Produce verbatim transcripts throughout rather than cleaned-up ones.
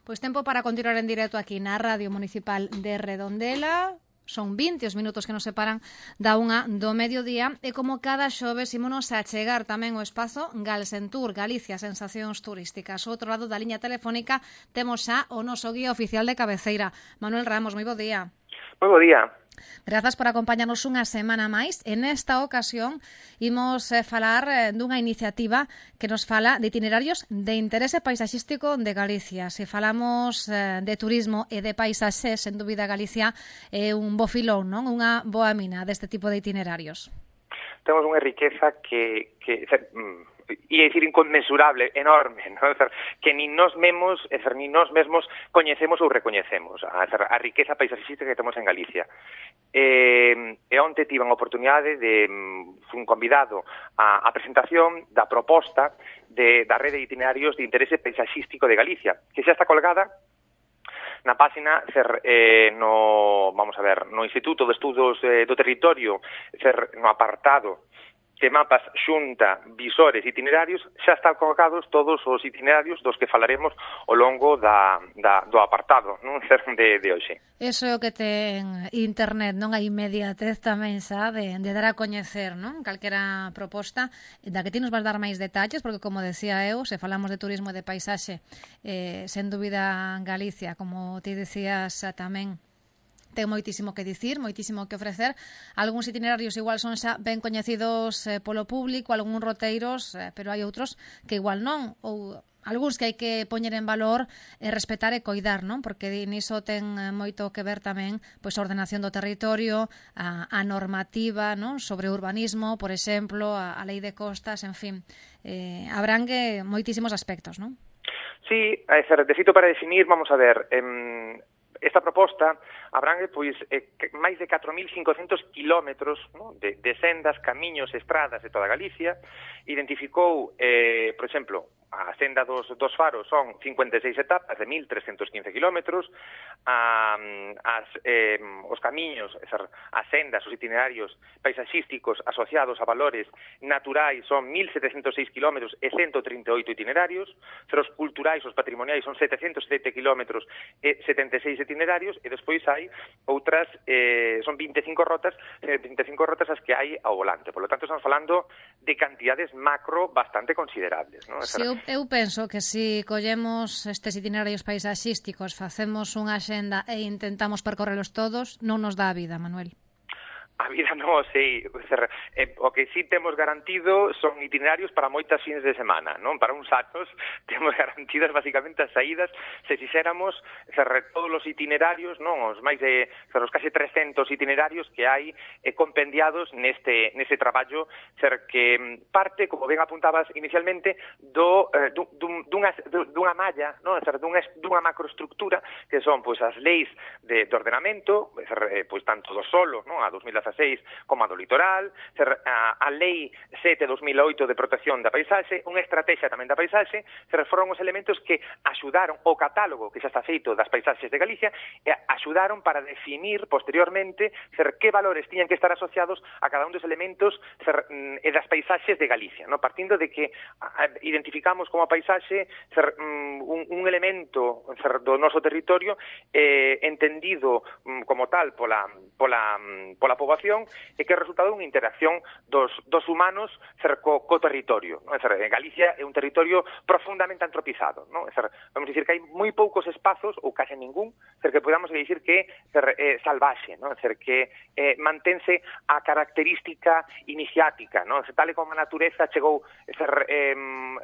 Pois tempo para continuar en directo aquí na Radio Municipal de Redondela. Son vinte os minutos que nos separan da unha do mediodía e como cada xoves ímonos a chegar tamén o espazo Galsentur, Galicia, sensacións turísticas. O outro lado da liña telefónica temos xa o noso guía oficial de cabeceira, Manuel Ramos. Moi bo día. Moi bo día. Grazas por acompañarnos unha semana máis. En esta ocasión imos eh, falar eh, dunha iniciativa que nos fala de itinerarios de interese paisaxístico de Galicia. Se falamos eh, de turismo e de paisaxe, sen dúbida Galicia é un bo filón, non? Unha boa mina deste tipo de itinerarios. Temos unha riqueza que, que ia dicir inconmensurable, enorme, non? Que nin nós mesmos, nin nós mesmos coñecemos ou recoñecemos a, a riqueza paisaxística que temos en Galicia. E, e onte tiven a oportunidade de un convidado a, a presentación da proposta de, da rede de itinerarios de interese paisaxístico de Galicia, que xa está colgada na página cer, eh, no, vamos a ver, no Instituto de Estudos eh, do Territorio, cer, no apartado de mapas xunta, visores, itinerarios, xa están colocados todos os itinerarios dos que falaremos ao longo da, da, do apartado, non, de, de hoxe. Eso é o que ten internet, non? A inmediatez tamén, xa, de, de dar a coñecer, non? Calquera proposta da que ti nos vas dar máis detalles, porque, como decía eu, se falamos de turismo e de paisaxe, eh, sen dúbida Galicia, como ti decías tamén, ten moitísimo que dicir, moitísimo que ofrecer. Algúns itinerarios igual son xa ben coñecidos eh, polo público, algúns roteiros, eh, pero hai outros que igual non, ou algúns que hai que poñer en valor e respetar e coidar, non? Porque niso ten moito que ver tamén pois a ordenación do territorio, a, a normativa, non? Sobre urbanismo, por exemplo, a, a lei de costas, en fin, eh, abrangue moitísimos aspectos, non? Sí, é ser, de feito para definir, vamos a ver, eh, esta proposta abrangue pois eh, máis de catro mil cincocentos kilómetros, ¿no? de, de sendas, camiños, estradas de toda Galicia. Identificou, eh, por exemplo, a senda dos, dos faros son cincuenta e seis etapas de mil trescentos quince kilómetros, a, as, eh, os camiños, as sendas, os itinerarios paisaxísticos asociados a valores naturais son mil setecentos seis kilómetros e ciento trinta e oito itinerarios, os culturais, os patrimoniais son setecentos sete kilómetros e setenta e seis itinerarios, e despois hai outras, eh, son vinte e cinco rotas, vinte e cinco rotas as que hai ao volante. Por lo tanto, estamos falando de cantidades macro bastante considerables, ¿no? Si, eu, eu penso que se si collemos estes itinerarios paisaxísticos, facemos unha axenda e intentamos percorrelos todos, non nos dá a vida, Manuel. A vida non sei, eh, o que sí temos garantido son itinerarios para moitas fins de semana, non? Para uns anos temos garantidas basicamente as saídas, se fixéramos cerre, todos os itinerarios, non? Os máis de, cerre, os case trescentos itinerarios que hai eh, compendiados neste, neste traballo, cer, que parte, como ben apuntabas inicialmente, do, eh, dun, dunha, dunha malla, non? Cer, dunha, dunha macroestructura, que son pois as leis de, de ordenamento, cer, pois tanto do solo, non? A dos mil dezaseis como a do litoral, a, a lei sete barra dos mil oito de protección da paisaxe, unha estrategia tamén da paisaxe, se foron os elementos que axudaron o catálogo que xa está feito das paisaxes de Galicia e axudaron para definir posteriormente ser que valores tiñan que estar asociados a cada un dos elementos ser, e das paisaxes de Galicia, no? Partindo de que a, identificamos como a paisaxe ser, un, un elemento ser, do noso territorio eh, entendido um, como tal pola, pola, pola poboación e que é resultado dunha interacción dos, dos humanos cer, co, co territorio, non? Cer, Galicia é un territorio profundamente antropizado, non? Cer, vamos a dicir que hai moi poucos espazos, ou case ningún, cer, que podamos dicir que cer, eh, salvaxe, non? Cer, que eh, mantense a característica iniciática, non? Cer, tal e como a natureza chegou, cer, eh,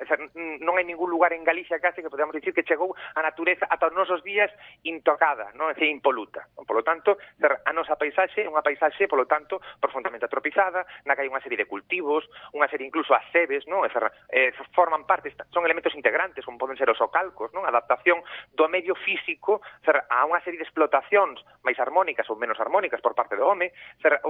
cer, non hai ningún lugar en Galicia case que podamos dicir que chegou a natureza ata os nosos días intocada, non? Cer, impoluta. Por lo tanto, cer, a nosa paisaxe é unha paisaxe, por lo tanto, profundamente atropizada, na que hai unha serie de cultivos, unha serie incluso as sebes, non? Eh, forman parte, son elementos integrantes, como poden ser os ocalcos, non? Adaptación do medio físico a unha serie de explotacións máis armónicas ou menos armónicas por parte do home,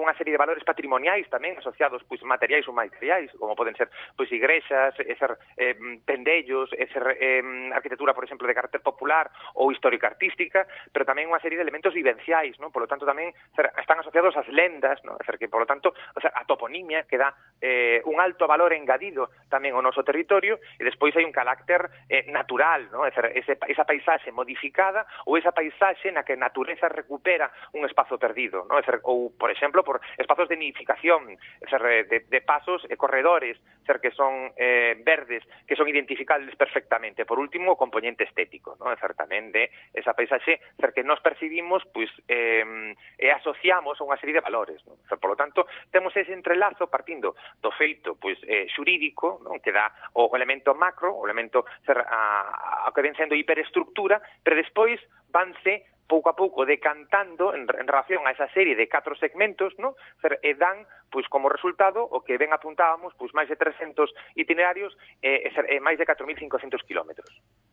unha serie de valores patrimoniais tamén asociados, pois, materiais ou materiais, como poden ser, pois, igrexas, ser, eh, pendellos, ser, eh, arquitectura, por exemplo, de carácter popular ou histórica artística, pero tamén unha serie de elementos vivenciais, non? Por lo tanto, tamén ser, ser, están asociados ás lendas, ¿no? Ser, que, por lo tanto, o sea, a toponimia que dá eh, un alto valor engadido tamén ao noso territorio, e despois hai un carácter eh, natural, ¿no? Ser, ese, esa paisaxe modificada ou esa paisaxe na que a natureza recupera un espazo perdido, ¿no? Ser, ou, por exemplo, por espazos de nidificación, ser, de, de pasos e corredores, ser, que son eh, verdes, que son identificables perfectamente. Por último, o componente estético, ¿no? Ser, tamén de esa paisaxe, ser, que nos percibimos, pois, eh, e asociamos a unha serie de valores, ¿no? Ser, por lo tanto, temos ese entrelazo partindo do feito, pois, eh, xurídico, ¿no? Que dá o elemento macro, o elemento, ser, a, a que ven sendo hiperestructura, pero despois vanse pouco a pouco decantando en, en relación a esa serie de catro segmentos, ¿no? E dan, pois, como resultado, o que ben apuntábamos, pois, máis de trescentos itinerarios e, e máis de catro mil cincocentos kilómetros.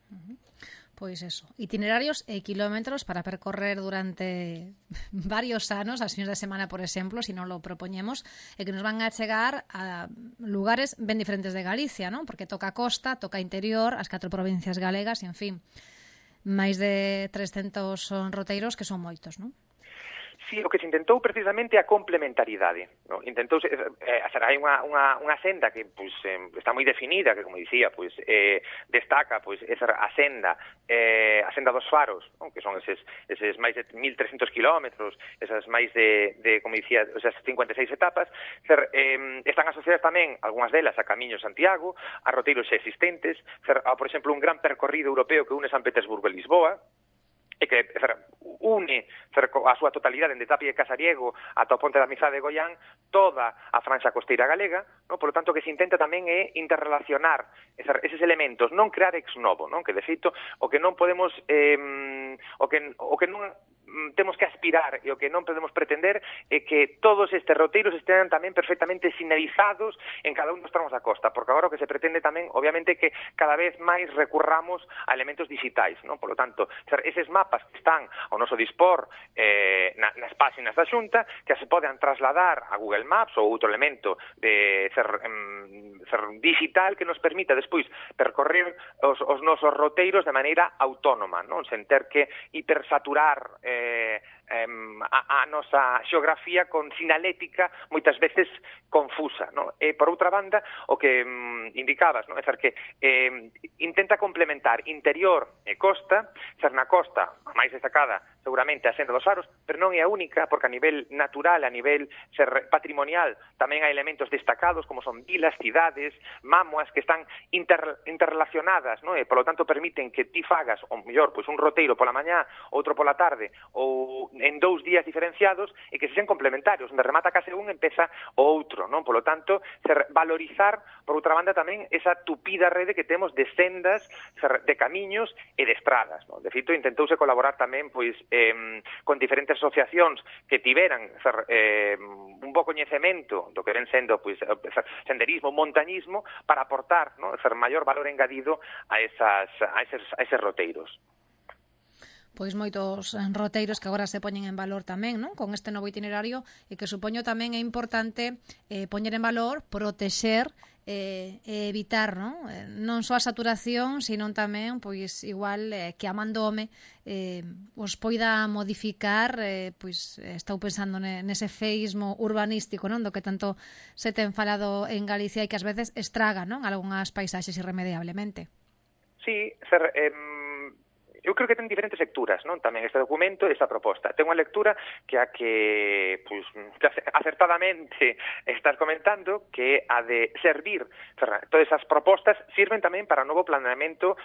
Uh-huh. Pois eso, itinerarios e kilómetros para percorrer durante varios anos, as fines de semana, por exemplo, se si non lo propoñemos, e que nos van a chegar a lugares ben diferentes de Galicia, ¿no? Porque toca costa, toca interior, as catro provincias galegas, e, en fin, máis de trescentos son roteiros, que son moitos, non? Sí, o que se intentou precisamente a complementaridade, ¿no? Intentouse, eh, hai unha, unha, unha senda que pois, eh, está moi definida, que, como dicía, pois, eh, destaca pois, esa, a senda eh, a senda dos faros, ¿no? Que son eses, eses máis de mil trescentos kilómetros, esas máis de, de como dicía, esas cincuenta e seis etapas, ser, eh, están asociadas tamén, algunhas delas, a Camiño Santiago, a roteiros existentes, ser, a, por exemplo, un gran percorrido europeo que une San Petersburgo e Lisboa, e que ser, une ser, a súa totalidade de Tapia e Casariego ata o Ponte da Amizade de Goián toda a franxa costeira galega, no? Por lo tanto, que se intenta tamén é interrelacionar ser, eses elementos, non crear ex novo, non? Que de feito o que non podemos eh, o que o que non temos que aspirar e o que non podemos pretender é que todos estes roteiros estén tamén perfectamente sinalizados en cada un dos tramos da costa, porque agora o que se pretende tamén, obviamente, que cada vez máis recurramos a elementos digitais, non? Por lo tanto, eses mapas que están ao noso dispor eh, nas páxinas da Xunta, que se poden trasladar a Google Maps ou outro elemento de ser, em, ser digital que nos permita despois percorrer os, os nosos roteiros de maneira autónoma, non? Sen ter que hipersaturar eh, Eh, eh, a, a nosa xeografía con sinalética moitas veces confusa, no? E por outra banda, o que mm, indicabas, no? É ser que eh, intenta complementar interior e costa, ser na costa, a máis destacada seguramente a senda dos faros, pero non é a única, porque a nivel natural, a nivel ser patrimonial, tamén hai elementos destacados como son vilas, cidades, mámoas que están inter, interrelacionadas, no? E polo tanto permiten que ti fagas, ou mellor, pois un roteiro pola mañá, outro pola tarde, ou en dous días diferenciados, e que se sen complementarios, onde remata case un, empeza o outro, non? Polo tanto, ser, valorizar, por outra banda, tamén esa tupida rede que temos de sendas, ser, de camiños e de estradas, non? De feito, intentouse colaborar tamén, pois, eh, con diferentes asociacións que tiveran ser, eh, un bo coñecemento do que ven sendo pois, senderismo, montañismo, para aportar, ¿no? Ser maior valor engadido a, esas, a, eses, a eses roteiros. Pois moitos roteiros que agora se poñen en valor tamén, non? Con este novo itinerario, e que supoño tamén é importante eh, poñer en valor, protexer e eh, evitar, non? Eh, non só a saturación, sino tamén, pois, igual eh, que a man do home eh, os poida modificar, eh, pois, estou pensando nese feísmo urbanístico, non? Do que tanto se ten falado en Galicia e que ás veces estraga, non? Algunhas paisaxes irremediablemente. Sí, ser... Eh... Eu creo que ten diferentes lecturas, non? Tamén este documento e esta proposta. Ten unha lectura que a que, pois, acertadamente estás comentando, que a de servir, todas esas propostas sirven tamén para o novo planeamento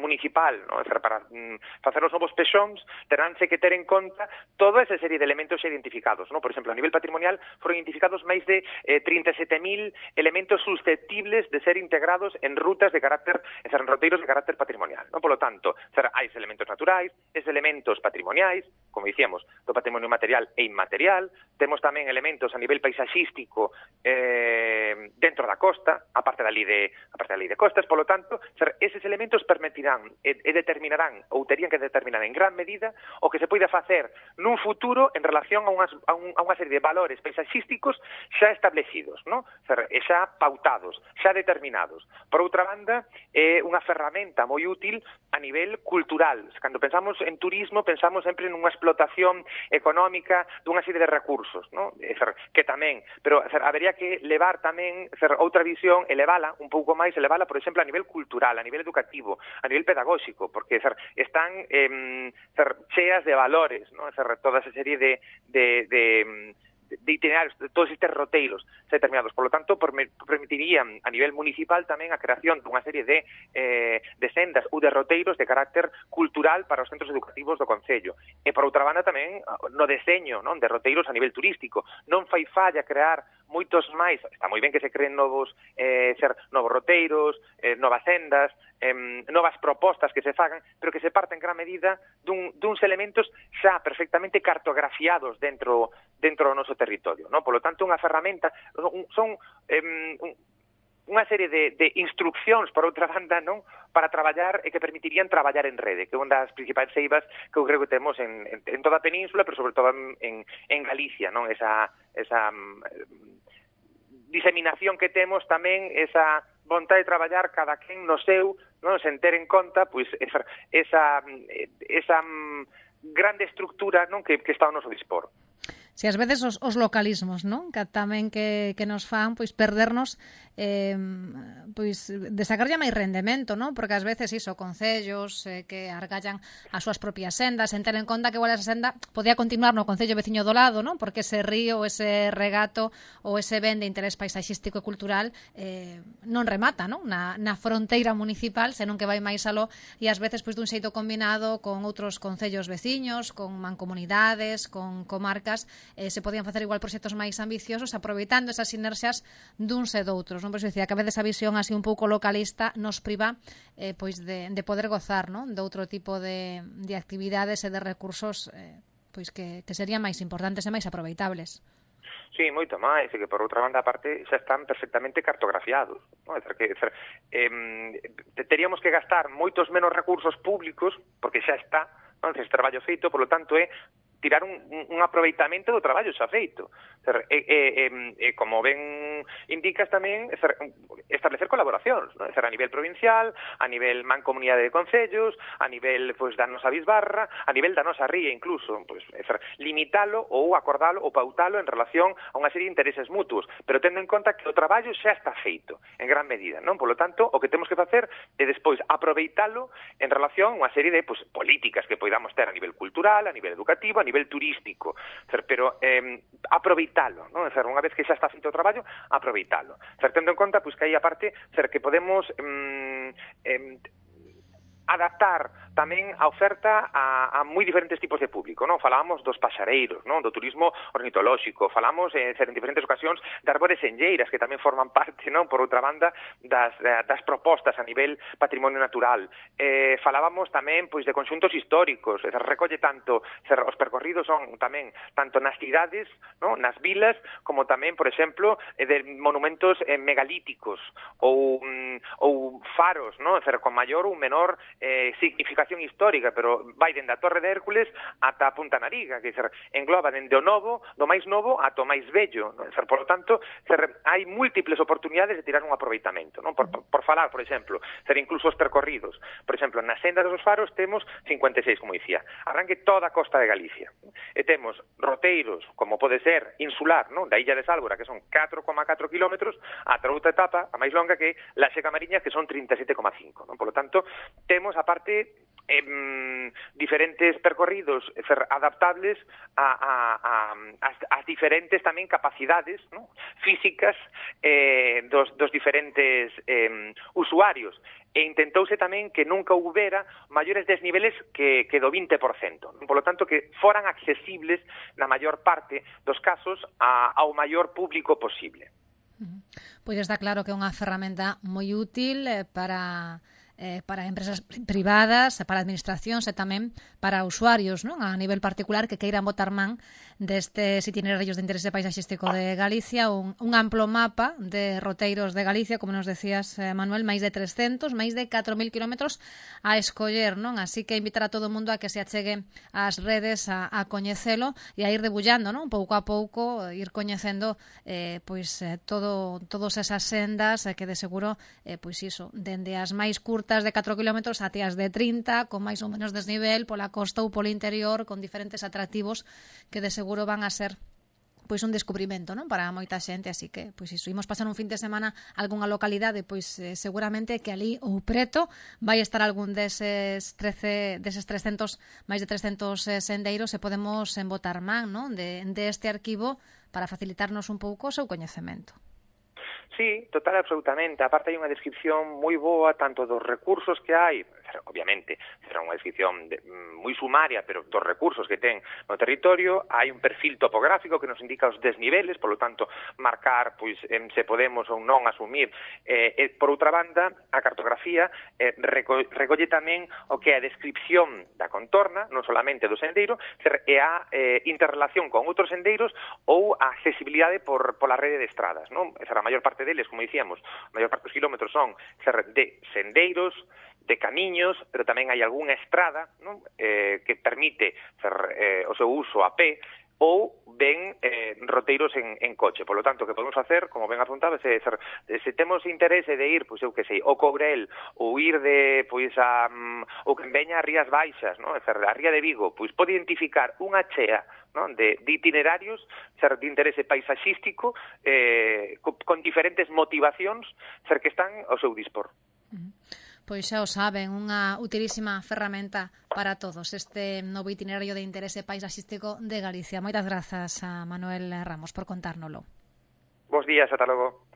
municipal, non? Para mm, facer os novos pexóns, teránse que ter en conta toda esa serie de elementos identificados, non? Por exemplo, a nivel patrimonial foron identificados máis de eh, trinta e sete mil elementos susceptibles de ser integrados en rutas de carácter, en roteiros de carácter patrimonial, non? Por lo tanto, hai elementos naturais, es elementos patrimoniais, como dicíamos, do patrimonio material e inmaterial, temos tamén elementos a nivel paisaxístico eh, dentro da costa, a parte da lei de, a parte da lei de costas, polo tanto, ser, eses elementos permitirán e, e determinarán, ou terían que determinar en gran medida, o que se poida facer nun futuro en relación a, unhas, a, un, a unha serie de valores paisaxísticos xa establecidos, ¿no? Ser, e xa pautados, xa determinados. Por outra banda, é unha ferramenta moi útil a nivel cultural, cultural. Cando pensamos en turismo, pensamos sempre nunha explotación económica dunha serie de recursos, ¿no? Que tamén, pero habería que levar tamén outra visión, elevala un pouco máis, elevala, por exemplo, a nivel cultural, a nivel educativo, a nivel pedagóxico, porque están eh, cheas de valores, ¿no? Toda esa serie de, de, de de itinerarios, de todos estes roteiros determinados. Por lo tanto, permitirían a nivel municipal tamén a creación dunha serie de, eh, de sendas ou de roteiros de carácter cultural para os centros educativos do Concello. E, por outra banda, tamén no deseño, non, de roteiros a nivel turístico. Non fai falla crear moitos máis, está moi ben que se creen novos eh, ser novos roteiros, eh, novas sendas, eh, novas propostas que se fagan, pero que se parten en gran medida dun, duns elementos xa perfectamente cartografiados dentro dentro do noso territorio, ¿no? Por lo tanto, unha ferramenta, son eh, unha serie de, de instruccións, por outra banda, non, para traballar e que permitirían traballar en rede, que é unha das principais eivas que eu creo que temos en, en, en toda a península, pero sobre todo en, en Galicia, non, esa, esa um, diseminación que temos tamén, esa vontade de traballar cada quen no seu, non, sen ter en conta, pois, esa, esa, esa um, grande estructura, non, que, que está ao noso dispor. Si ás veces os, os localismos, non? Que tamén que, que nos fan pois perdernos eh, pois de sacarlle máis rendemento, non? Porque ás veces iso, concellos eh, que argallan as súas propias sendas, en ter en conta que igual esa senda podía continuar no concello veciño do lado, non? Porque ese río, ese regato ou ese ben de interés paisaxístico e cultural eh, non remata, non? Na, na fronteira municipal, senón que vai máis aló e ás veces pois dun xeito combinado con outros concellos veciños, con mancomunidades, con comarcas, Eh, se podían facer igual proxectos máis ambiciosos aproveitando esas sinerxias duns e doutros, non? Por iso dicía que a veces a visión así un pouco localista nos priva eh, pois de, de poder gozar, non? De outro tipo de, de actividades e de recursos eh, pois que, que serían máis importantes e máis aproveitables. Sí, moito máis, e que por outra banda, aparte, xa están perfectamente cartografiados, non? É que, é, eh, teríamos que gastar moitos menos recursos públicos, porque xa está, non? Ese traballo feito, por lo tanto, é tirar un, un aproveitamento do traballo xa feito. E, e, e, e como ben indicas tamén, establecer colaboracións, non? A nivel provincial, a nivel mancomunidade de concellos, a nivel pois, da nosa bisbarra, a nivel da nosa ría incluso, pois, limitalo ou acordalo ou pautalo en relación a unha serie de intereses mutuos, pero tendo en conta que o traballo xa está feito, en gran medida, non? Por lo tanto, o que temos que facer é despois aproveitalo en relación a unha serie de pois, políticas que poidamos ter a nivel cultural, a nivel educativo, a nivel turístico, pero eh, aproveitalo, non? Unha vez que xa está feito o traballo, aproveitalo. Tendo en conta pois, que aí aparte que podemos eh, eh, adaptar tamén a oferta a, a moi diferentes tipos de público, non? Falábamos dos paxareiros, non? Do turismo ornitolóxico, falamos eh, en diferentes ocasións de árbores enlleiras que tamén forman parte, non? Por outra banda, das, das propostas a nivel patrimonio natural. Eh, falábamos tamén pois de conxuntos históricos, se recolle tanto, se, os percorridos son tamén tanto nas cidades, non? Nas vilas, como tamén, por exemplo, eh, de monumentos eh, megalíticos ou, mm, ou faros, non? Ser, con maior ou menor eh, significación histórica, pero vai dende a Torre de Hércules ata a Punta Nariga, que ser, engloba dende o novo, do máis novo ata o máis bello, non? Ser, por lo tanto, ser, hai múltiples oportunidades de tirar un aproveitamento, non? Por, por, por falar, por exemplo, ser incluso os percorridos. Por exemplo, na senda dos faros temos cincuenta e seis, como dicía, arranque toda a costa de Galicia. E temos roteiros, como pode ser insular, non? Da Illa de Sálvora, que son catro coma catro kilómetros, ata outra etapa, a máis longa, que la Seca Mariña, que son trinta e sete coma cinco, non? Por lo tanto, temos aparte eh, diferentes percorridos ser adaptables a, a, a, a, as diferentes tamén capacidades, ¿no? Físicas eh, dos, dos diferentes eh, usuarios. E intentouse tamén que nunca houbera maiores desniveles que, que do vinte por cento. Por lo tanto, que foran accesibles na maior parte dos casos a, ao maior público posible. Pois está claro que é unha ferramenta moi útil para... Eh, para empresas privadas, para administracións e tamén para usuarios, non? A nivel particular que queiran botar man destes itinerarios de interese paisaxístico de Galicia, un, un amplo mapa de roteiros de Galicia, como nos decías, eh, Manuel, máis de trescentos, máis de catro mil kilómetros a escoller, non? Así que invitar a todo o mundo a que se achegue ás redes a, a coñecelo e a ir debullando, non? Pouco a pouco, ir coñecendo eh, pois eh, todo, todas esas sendas eh, que de seguro, eh, pois iso, dende as máis curtas rutas de catro kilómetros até as de trinta, con máis ou menos desnivel pola costa ou polo interior, con diferentes atractivos que de seguro van a ser pois un descubrimento, non, para moita xente, así que pois iso, imos pasar un fin de semana a algunha localidade, pois eh, seguramente que ali ou preto vai estar algún deses trece, deses trescentos, máis de trescentos eh, sendeiros e podemos embotar man, non, de, de este arquivo para facilitarnos un pouco o seu coñecemento. Sí, total, absolutamente. Aparte hai unha descripción moi boa tanto dos recursos que hai, obviamente, será unha descripción de, moi sumaria, pero dos recursos que ten no territorio. Hai un perfil topográfico que nos indica os desniveles, polo tanto, marcar pois em, se podemos ou non asumir. Eh, e, por outra banda, a cartografía eh, reco recolle tamén o que é a descripción da contorna, non solamente do sendeiro, e a eh, interrelación con outros sendeiros ou a accesibilidade por, pola rede de estradas, non? Esa a maior parte deles, como dicíamos, a maior parte dos kilómetros son de sendeiros, de camiños, pero tamén hai algunha estrada, non? Eh, que permite fer, eh, o seu uso a pé ou ben eh, roteiros en, en coche. Por lo tanto, que podemos facer, como ben apuntaba, se, se, se temos interese de ir, pois eu que sei, ao Courel, ou ir de, pois, a, um, ou que veña a Rías Baixas, non? A Ría de Vigo, pois pode identificar unha chea, non? De, de itinerarios ser, de interese paisaxístico eh, con, con diferentes motivacións ser que están ao seu dispor. Uh-huh. Pois xa o saben, unha utilísima ferramenta para todos este novo itinerario de interese paisaxístico de Galicia. Moitas grazas a Manuel Ramos por contárnolo. Bos días, ata logo.